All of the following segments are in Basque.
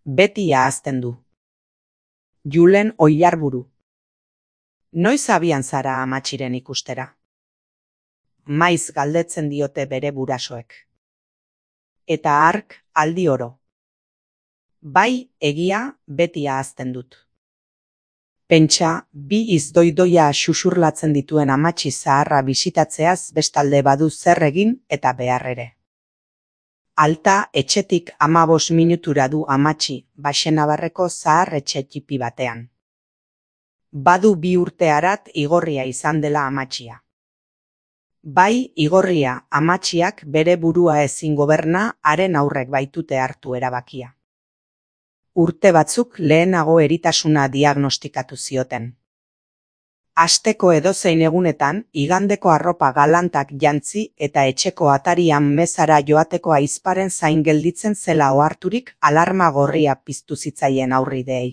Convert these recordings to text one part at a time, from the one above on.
Beti ahazten du. Julen Oiarburu. Noiz abian zara amatxiren ikustera? Maiz galdetzen diote bere gurasoek. Eta hark aldi oro. Bai, egia, beti ahazten dut. Pentsa, bi izdoidoia xuxurlatzen dituen amatxi zaharra bisitatzeaz bestalde badu zer egin eta behar ere. Alta etxetik 15 minutura du amatxi, Baxenabarreko zahar etxe txipi batean. Badu 2 urte harat igorria izan dela amatxia. Bai, igorria, amatxiak bere burua ezin goberna, haren aurrek baitute hartu erabakia. Urte batzuk lehenago eritasuna diagnostikatu zioten. Asteko edozein egunetan, igandeko arropa galantak jantzi eta etxeko atarian mezara joateko aizparen zain gelditzen zela oharturik alarma gorria piztu zitzaien aurrideei.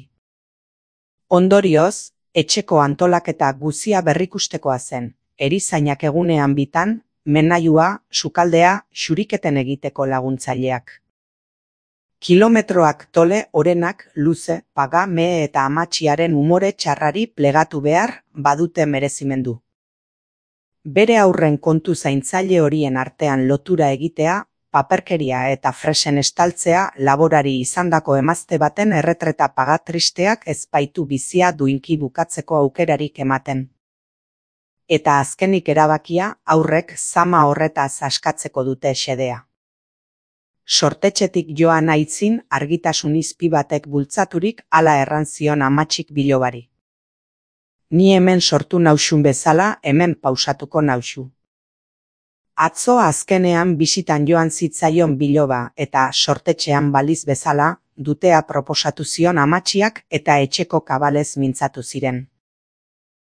Ondorioz, etxeko antolaketa guzia berrikustekoa zen, erizainak egunean bitan, menailua, sukaldea, xuriketen egiteko laguntzaileak. Kilometroak tole, orenak, luze, paga, mehe eta amatxiaren umore txarrari plegatu behar badute merezimendu. Bere aurren kontu zaintzaile horien artean lotura egitea, paperkeria eta fresen estaltzea laborari izandako emazte baten erretreta paga tristeak ez baitu bizia duinki bukatzeko aukerarik ematen. Eta azkenik erabakia aurrek zama horretaz askatzeko dute xedea. Sortetxetik joan aitzin argitasun izpi batek bultzaturik hala erran zion amatxik bilobari. Ni hemen sortu nauxun bezala, hemen pausatuko nauxu. Atzo azkenean bisitan joan zitzaion biloba eta sortetxean baliz bezala, dutea proposatu zion amatxiak eta etxeko kabalez mintzatu ziren.